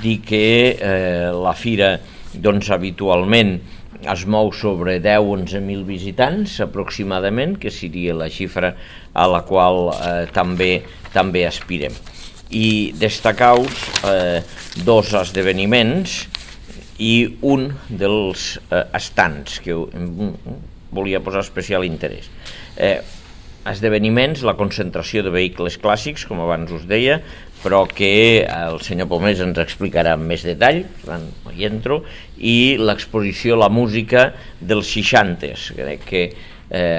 dir que la fira habitualment es mou sobre 10-11.000 visitants aproximadament, que seria la xifra a la qual també aspirem. I destacar-vos dos esdeveniments i un dels estants que volia posar especial interès. Esdeveniments, la concentració de vehicles clàssics, com abans us deia, però que el senyor Pomés ens explicarà amb més detall, no hi entro, i l'exposició La música dels 60s, crec que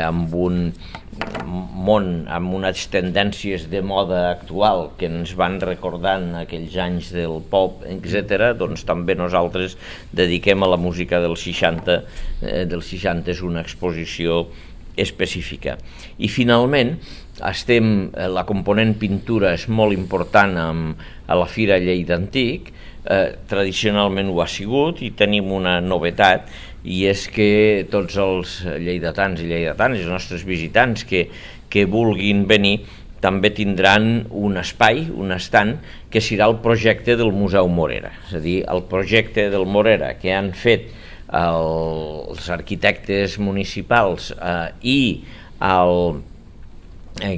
amb un món, amb unes tendències de moda actual que ens van recordant aquells anys del pop, etc., doncs també nosaltres dediquem a la música dels 60s una exposició específica. I finalment, la component pintura és molt important a la Fira Lleida Antic, tradicionalment ho ha sigut, i tenim una novetat, i és que tots els lleidatans i lleidatanes, els nostres visitants que vulguin venir, també tindran un espai, un estand, que serà el projecte del Museu Morera. És a dir, el projecte del Morera que han fet els arquitectes municipals i el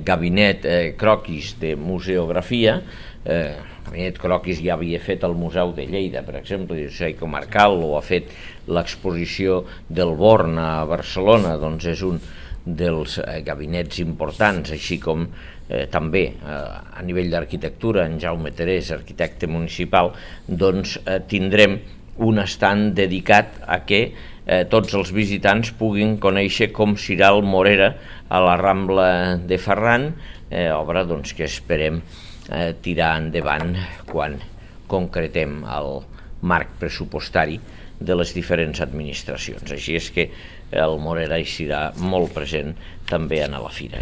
gabinet Croquis de museografia. El gabinet Croquis ja havia fet el Museu de Lleida, per exemple, i comarcal, o ha fet l'exposició del Born a Barcelona, doncs és un dels gabinets importants, així com també a nivell d'arquitectura, en Jaume Terés, arquitecte municipal, doncs tindrem un estand dedicat a que tots els visitants puguin conèixer com serà el Morera a la Rambla de Ferran, obra que esperem tirar endavant quan concretem el marc pressupostari de les diferents administracions. Així és que el Morera hi serà molt present també a la fira.